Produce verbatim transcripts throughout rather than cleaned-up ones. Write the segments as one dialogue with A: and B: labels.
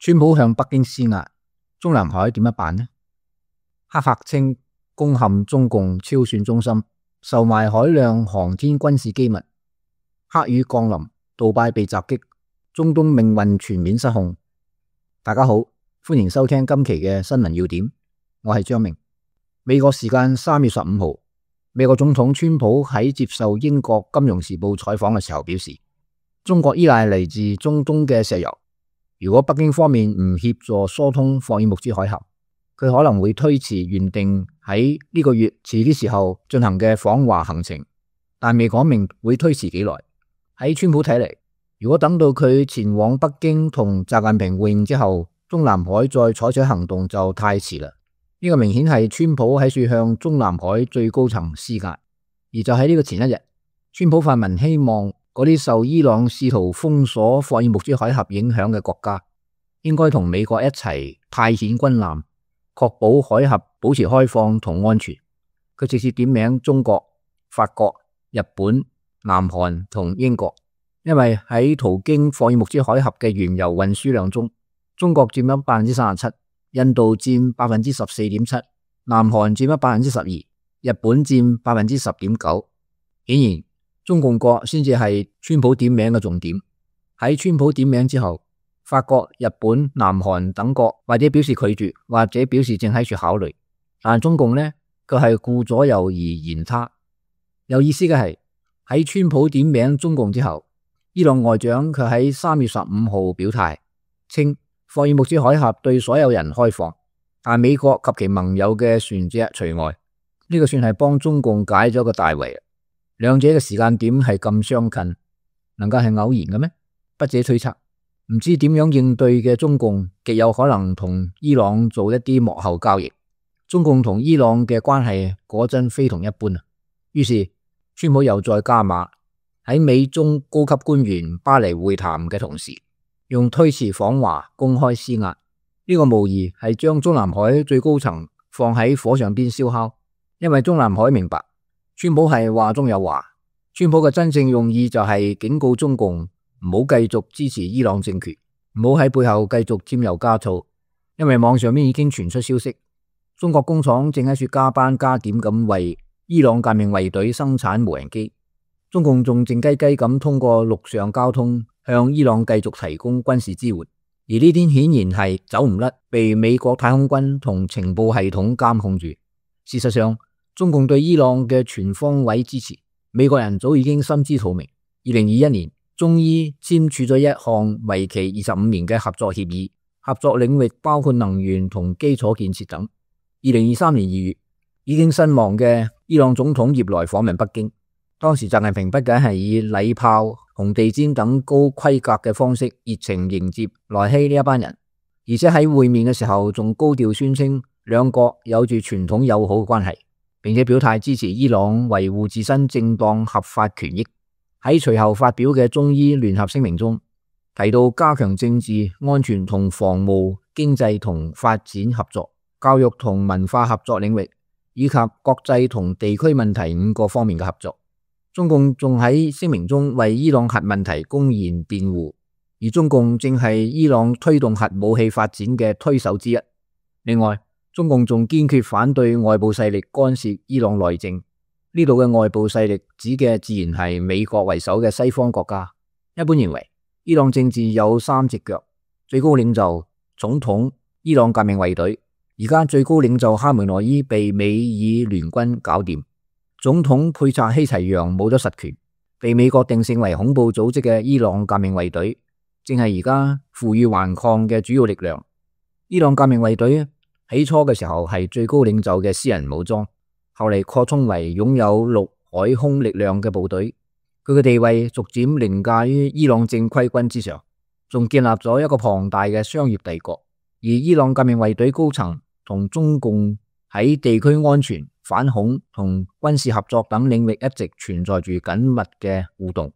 A: 川普向北京施壓，中南海點樣辦呢？黑客稱攻陷中共超算中心，售賣海量航天軍事機密。黑雨降臨，杜拜被襲擊，中東命運全面失控。大家好，歡迎收聽今期嘅新聞要點，我係張明。美國時間三月十五號，美國總統川普喺接受英國金融時報採訪嘅時候表示，中國依賴嚟自中東嘅石油。如果北京方面唔協助疏通霍爾木茲海峽，佢可能會推遲原定喺呢個月遲啲時候進行嘅訪華行程，但未講明會推遲幾耐。喺川普睇嚟，如果等到佢前往北京同習近平會晤之後，中南海再採取行動就太遲啦。呢個明顯係川普喺處向中南海最高層施壓，而就喺呢個前一日，川普發文希望嗰啲受伊朗試圖封鎖霍爾木茲海峽影響嘅國家，應該同美國一齊派遣軍艦，確保海峽保持開放同安全。佢直接點名中國、法國、日本、南韓同英國，因為喺途經霍爾木茲海峽嘅原油運輸量中，中國佔咗百分之三十七，印度佔百分之十四點七，南韓佔咗百分之十二，日本佔百分之十點九。顯然，中共國先至係川普點名嘅重點。喺川普點名之後，法國、日本、南韓等國或者表示拒絕，或者表示正喺處考慮。但中共呢，佢係顧左右而言他。有意思嘅係，喺川普點名中共之後，伊朗外長佢喺三月十五號表態，稱霍爾木茲海峽對所有人開放，但美國及其盟友嘅船隻除外。呢個算係幫中共解咗個大圍。兩者嘅時間點係咁相近，能夠係偶然嘅咩？不者推測，唔知點樣應對嘅中共極有可能同伊朗做一啲幕後交易。中共同伊朗嘅關係果真非同一般啊！於是川普又再加碼，喺美中高級官員巴黎會談嘅同時，用推遲訪華公開施壓。呢個無疑係將中南海最高層放喺火上邊燒烤，因為中南海明白，川普係話中有話，川普嘅真正用意就係警告中共唔好繼續支持伊朗政權，唔好喺背後繼續添油加醋。因為網上面已經傳出消息，中國工廠正喺處加班加點咁為伊朗革命衛隊生產無人機，中共仲靜雞雞咁通過陸上交通向伊朗繼續提供軍事支援，而呢啲顯然係走唔甩被美國太空軍同情報系統監控住。事實上，中共對伊朗嘅全方位支持，美國人早已經心知肚明。二零二一年，中伊簽署咗一項為期二十五年嘅合作協議，合作領域包括能源同基礎建設等。二零二三年二月，已經身亡嘅伊朗總統葉萊訪問北京，當時習近平不僅係以禮炮、紅地毯等高規格嘅方式熱情迎接萊希呢一班人，而且喺會面嘅時候仲高調宣稱兩國有住傳統友好嘅關係，並且表態支持伊朗維護自身正當合法權益。喺隨後發表嘅中伊聯合聲明中，提到加強政治、安全同防務、經濟同發展合作、教育同文化合作領域，以及國際同地區問題五個方面嘅合作。中共仲喺聲明中為伊朗核問題公然辯護，而中共正係伊朗推動核武器發展嘅推手之一。另外，中共仲堅決反對外部勢力干涉伊朗內政。呢度嘅外部勢力指嘅自然係美國為首嘅西方國家。一般認為，伊朗政治有三隻腳：最高領袖、總統、伊朗革命衛隊。而家最高領袖哈梅內伊被美以聯軍搞掂，總統佩察希齊揚冇咗實權，被美國定性為恐怖組織嘅伊朗革命衛隊，正係而家負隅頑抗嘅主要力量。伊朗革命衛隊起初嘅時候係最高領袖嘅私人武裝，後嚟擴充為擁有陸海空力量嘅部隊。佢嘅地位逐漸凌駕於伊朗正規軍之上，仲建立咗一個龐大嘅商業帝國。而伊朗革命衛隊高層同中共喺地區安全、反恐同軍事合作等領域一直存在住緊密嘅互動。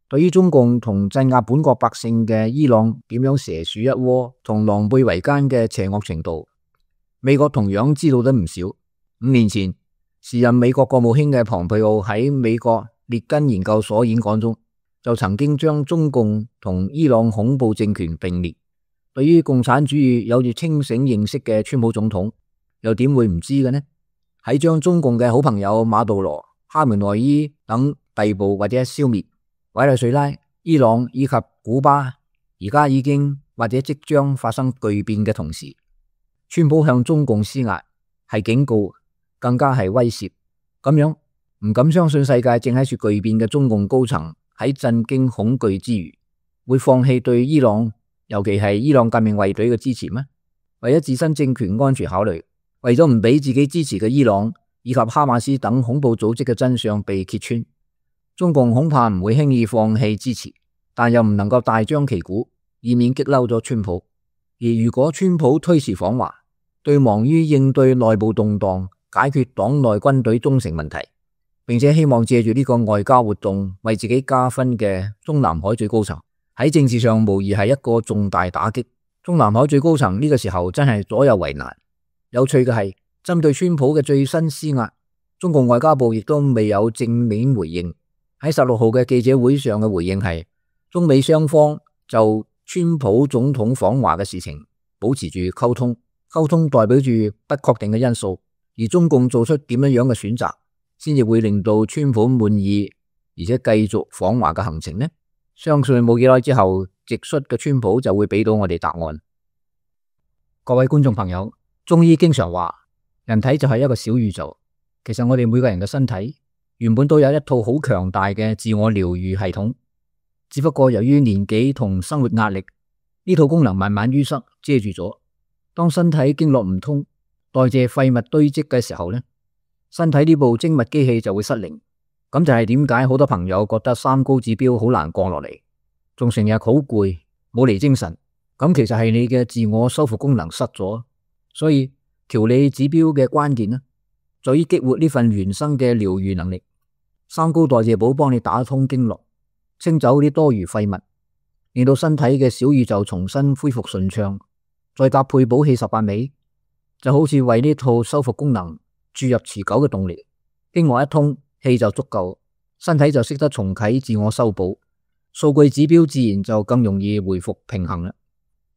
A: 對於中共同鎮壓本國百姓嘅伊朗點樣蛇鼠一窩同狼狽為奸嘅邪惡程度，美國同樣知道得唔少。五年前，時任美國國務卿嘅龐佩奧喺美國列根研究所演講中，就曾經將中共同伊朗恐怖政權並列。對於共產主義有住清醒認識嘅川普總統，又點會唔知嘅呢？喺將中共嘅好朋友馬杜羅、哈梅內伊等逮捕或者消滅，委內瑞拉、伊朗以及古巴而家已經或者即將發生巨變嘅同時，川普向中共施壓係警告，更加係威脅。咁樣唔敢相信世界正喺處巨變嘅中共高層喺震驚恐懼之餘，會放棄對伊朗，尤其係伊朗革命衛隊嘅支持咩？為咗自身政權安全考慮，為咗唔俾自己支持嘅伊朗以及哈馬斯等恐怖組織嘅真相被揭穿，中共恐怕唔會輕易放棄支持，但又唔能夠大張旗鼓，以免激嬲咗川普。而如果川普推遲訪華，對忙於應對內部動盪、解決黨內軍隊忠誠問題，並且希望借住呢個外交活動為自己加分嘅中南海最高層，喺政治上無疑係一個重大打擊。中南海最高層呢個時候真係左右為難。有趣嘅係，針對川普嘅最新施壓，中共外交部亦都未有正面回應。喺十六號嘅記者會上嘅回應係，中美雙方就川普總統訪華嘅事情保持住溝通，溝通代表住不確定嘅因素，而中共做出點樣樣嘅選擇，先至會令到川普滿意，而且繼續訪華嘅行程呢？相信冇幾耐之後，直率嘅川普就會俾到我哋答案。各位觀眾朋友，中醫經常話，人體就係一個小宇宙。其實我哋每個人嘅身體原本都有一套好強大嘅自我療愈系統，只不過由於年紀同生活壓力，呢套功能慢慢淤塞遮住咗。當身體經絡唔通，代謝廢物堆積嘅時候呢，身體呢部精密機器就會失靈。咁就係點解好多朋友覺得三高指標好難降落嚟，仲成日好攰，冇嚟精神。咁其實係你嘅自我修復功能失咗。所以調理指標嘅關鍵呢，在於激活呢份原生嘅療愈能力。三高代謝寶幫你打通經絡，清走啲多餘廢物，令到身體嘅小宇宙重新恢復順暢。再搭配補氣十八味，就好似為呢套修復功能注入持久嘅動力。經絡一通，氣就足夠，身體就識得重啟自我修補，數據指標自然就更容易回復平衡啦。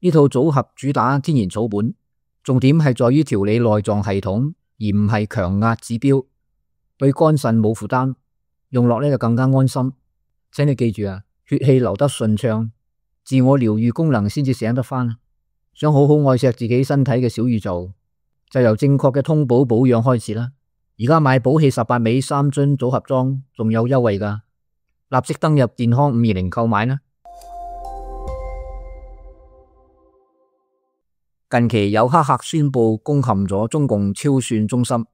A: 呢套組合主打天然草本，重點係在於調理內臟系統，而唔係強壓指標，對肝腎冇負擔，用落呢就更加安心。請你記住啊，血氣流得順暢，自我療愈功能先至醒得返。想好好愛錫自己身體嘅小宇宙，就由正確嘅通補保養開始啦。而家買補氣十八味三樽組合裝仲有優惠㗎，立即登入健康五二零購買啦。近期有黑客宣布攻陷咗中共超算中心，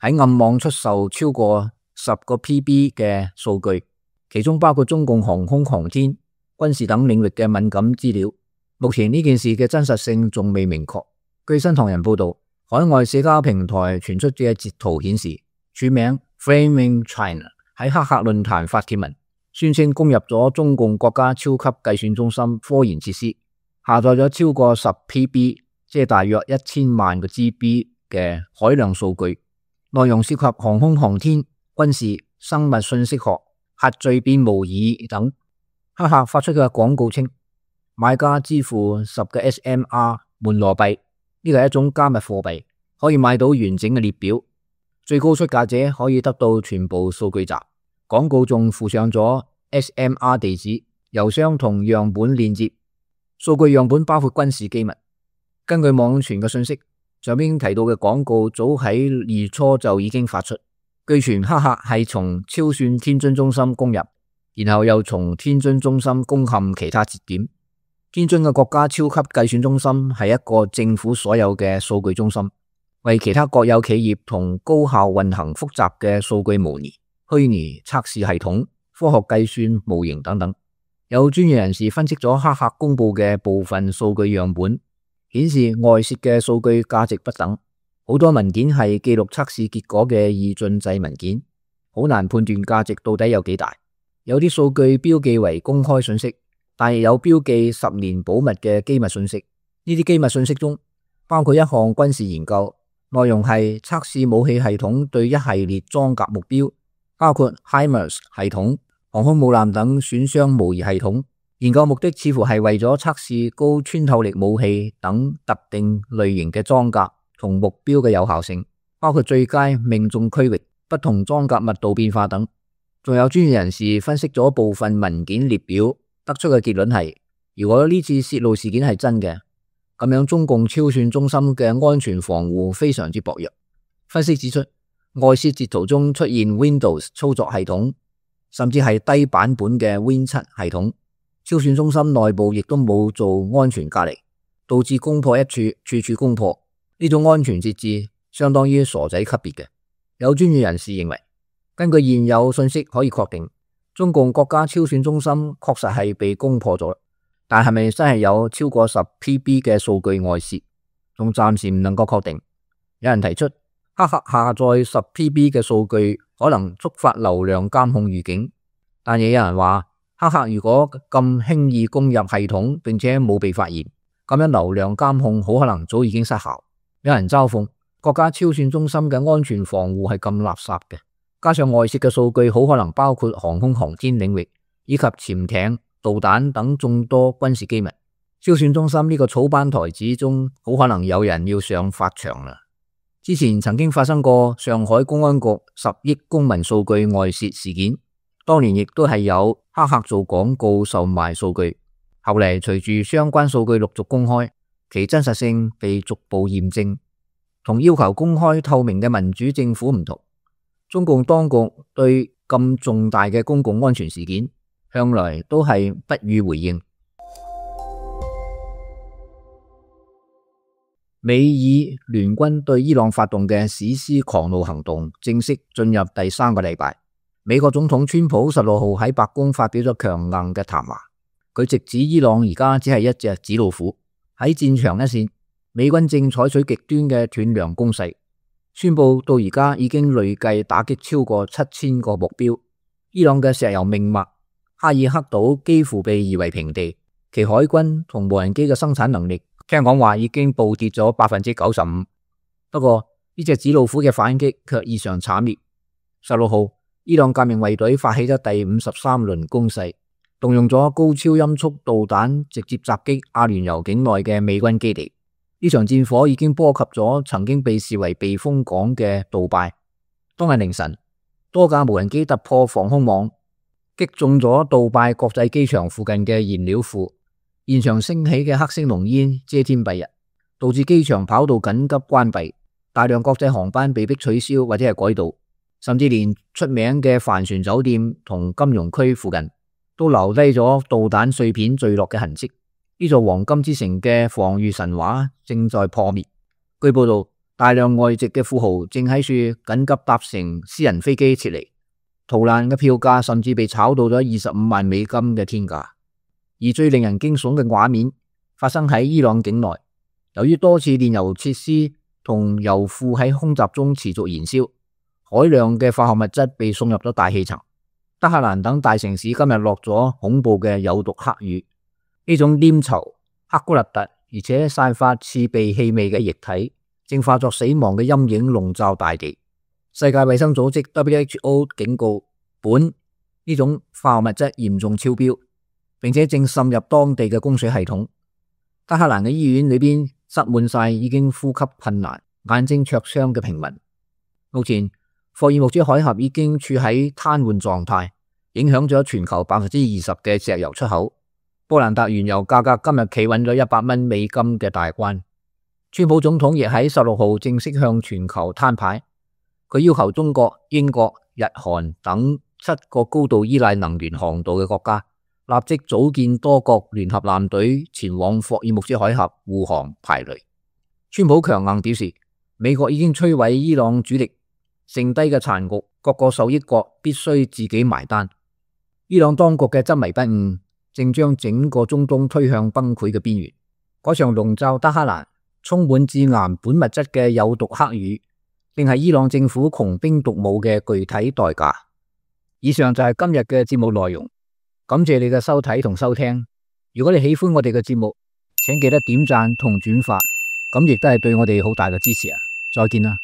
A: 喺暗網出售超過十個 P B 嘅數據，其中包括中共航空航天、軍事等領域嘅敏感資料。目前呢件事嘅真實性仲未明確。據新唐人報道，海外社交平台傳出嘅截圖顯示，署名 Framing China 喺黑客論壇發帖文，宣稱攻入咗中共國家超級計算中心科研設施，下載咗超過十 P B， 即係大約一千萬個 G B 嘅海量數據，內容涉及航空航天、軍事、生物信息學、核聚變模擬等。黑客發出嘅廣告稱，買家支付十個 S M R 門羅幣，呢個係一種加密貨幣，可以買到完整嘅列表，最高出價者可以得到全部數據集。廣告仲附上咗 S M R 地址、郵箱同樣本鏈接，數據樣本包括軍事機密。根據網傳嘅信息，上邊提到嘅廣告早喺月初就已經發出。據傳黑客係從超算天津中心攻入，然後又從天津中心攻陷其他節點。天津嘅國家超級計算中心係一個政府所有嘅數據中心，為其他國有企業同高效運行複雜嘅數據模擬、虛擬測試系統、科學計算模型等等。有專業人士分析咗黑客公布嘅部分數據樣本，顯示外泄嘅數據價值不等，好多文件係記錄測試結果嘅二進制文件，好難判斷價值到底有幾大。有啲數據標記為公開信息，但係有標記十年保密嘅機密信息。呢啲機密信息中包括一項軍事研究，內容係測試武器系統對一系列裝甲目標，包括 HIMARS 系統、航空母艦等損傷模擬系統，研究目的似乎係為咗測試高穿透力武器等特定類型嘅裝甲同目標嘅有效性，包括最佳命中區域、不同裝甲密度變化等。仲有專業人士分析咗部分文件列表，得出嘅結論係，如果呢次泄露事件係真嘅，咁樣中共超算中心嘅安全防護非常之薄弱。分析指出，外泄截圖中出現 Windows 操作系統，甚至係低版本嘅 Win 七系統。超算中心內部亦都冇做安全隔離，導致攻破一處，處處攻破。呢種安全設置相當於傻仔級別嘅。有專業人士認為，根據現有信息可以確定，中共國家超算中心確實係被攻破咗，但係咪真係有超過十 P B 嘅數據外泄，仲暫時唔能夠確定。有人提出，黑客下載十 P B 嘅數據可能觸發流量監控預警，但亦有人話，黑客如果咁輕易攻入系統並且冇被發現，咁樣流量監控好可能早已經失效。有人嘲諷國家超算中心嘅安全防護係咁垃圾嘅，加上外泄嘅數據好可能包括航空航天領域以及潛艇、導彈等眾多軍事機密。超算中心呢個草班台子中，好可能有人要上法場啦。之前曾經發生過上海公安局十億公民數據外泄事件。當年亦都係有黑客做廣告售賣數據，後嚟隨住相關數據陸續公開，其真實性被逐步驗證。同要求公開透明嘅民主政府唔同，中共當局對咁重大嘅公共安全事件，向來都係不予回應。美以聯軍對伊朗發動嘅史詩狂怒行動正式進入第三個禮拜。美國總統川普十六號喺白宮發表咗強硬嘅談話，佢直指伊朗而家只係一隻紙老虎，喺戰場一線，美軍正採取極端嘅斷糧攻勢，宣布到而家已經累計打擊超過七千個目標。伊朗嘅石油命脈哈爾克島幾乎被夷為平地，其海軍同無人機嘅生產能力聽講話已經暴跌咗百分之九十五。不過呢隻紙老虎嘅反擊卻異常慘烈。十六號，伊朗革命衛隊發起咗第五十三輪攻勢，動用咗高超音速導彈直接襲擊阿聯酋境內嘅美軍基地。呢場戰火已經波及咗曾經被視為避風港嘅杜拜。當日凌晨，多架無人機突破防空網，擊中咗杜拜國際機場附近嘅燃料庫，現場升起嘅黑色濃煙遮天蔽日，導致機場跑道緊急關閉，大量國際航班被迫取消或者係改道。甚至連出名嘅帆船酒店同金融區附近都留低咗導彈碎片墜落嘅痕跡。呢座黃金之城嘅防禦神話正在破滅。據報道，大量外籍嘅富豪正喺處緊急搭乘私人飛機撤離，逃難嘅票價甚至被炒到咗二十五萬美金嘅天價。而最令人驚悚嘅畫面發生喺伊朗境內，由於多次煉油設施同油庫喺空襲中持續燃燒，海量嘅化學物質被送入咗大氣層。德黑蘭等大城市今日落咗恐怖嘅有毒黑雨，呢種黏稠、黑古勒特而且散發刺鼻氣味嘅液體，正化作死亡嘅陰影籠罩大地。世界衛生組織 W H O 警告，苯呢種化學物質嚴重超標，並且正滲入當地嘅供水系統。德黑蘭嘅醫院裏邊塞滿晒已經呼吸困難、眼睛灼傷嘅平民。目前霍爾木茲海峽已經處喺癱瘓狀態，影響咗全球百分之二十嘅石油出口。布蘭特原油價格今日企穩咗一百蚊美金嘅大關。川普總統亦喺十六號正式向全球攤牌，佢要求中國、英國、日韓等七個高度依賴能源航道嘅國家立即組建多國聯合艦隊前往霍爾木茲海峽護航排雷。川普強硬表示，美國已經摧毀伊朗主力，剩低嘅殘局，各個受益國必須自己埋單。伊朗當局嘅執迷不悟，正將整個中東推向崩潰嘅邊緣。嗰場籠罩德黑蘭、充滿致癌苯物質嘅有毒黑雨，定係伊朗政府窮兵黷武嘅具體代價。以上就係今日嘅節目內容，感謝你嘅收睇同收聽。如果你喜歡我哋嘅節目，請記得點讚同轉發，咁亦都係對我哋好大嘅支持啊！再見啦。